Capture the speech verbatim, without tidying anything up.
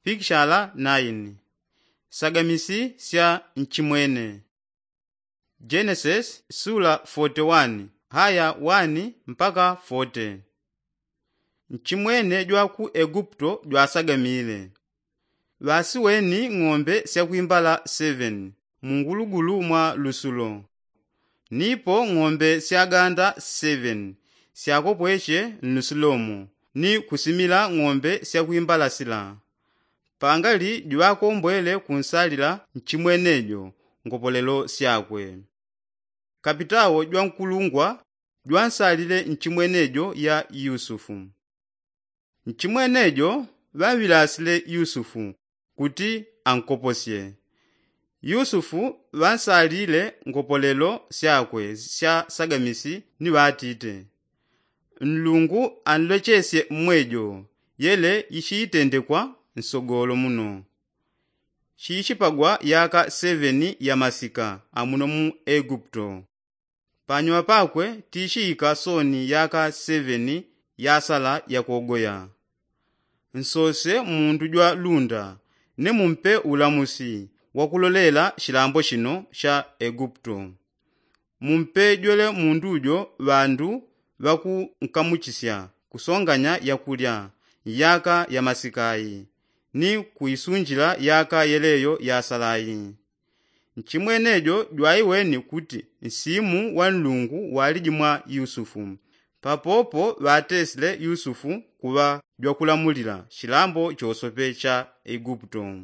pikishala naini. Sagamisi sya nchimwene. Jenesis sula foti wani haya wani mpaka foti. Nchimwene jwa ku eguputo jwasagamile. Ŵasiweni ng'ombe syakwimbala seveni mungulugulu mwa lusulo. Nipo ng'ombe syaganda seveni syakopweche nlusulomo ni kusimila ng'ombe syakwimbala sila. Pangali jwakombwele kunsalila nchimwenejo ngopolelo syakwe. Kapitawo jwankulungwa jwansalile nchimwenejo ya yusufu. Nchimwenejo ŵaŵilasile yusufu kuti ankoposye. Yusufu ŵansalile ngopolelo syakwe sya sagamisi ni ŵatite, nlungu anlwechesye mmwejo yele yichiitendekwa nsogolo muno. Chiichipagwa yaka seveni ya masika amuno mu eguputo. Panyuma pakwe tichiika soni yaka seveni yasala yakogoya. Nsose mundu jwa lunda ni mumpe ulamusi wakulolela chilambo chino cha eguputo. Mumpe jwele mundu jo ŵandu ŵakunkamuchisya kusonganya yakulya yaka ya masikayi ni kuisunjila yaka yeleyo yasalayi. Nchimwenejo jwaiweni kuti nsimu wa nlungu waliji mwa yusufu. Papopo ŵatesile yusufu kuŵa jwakulamulila chilambo chosope cha eguputo.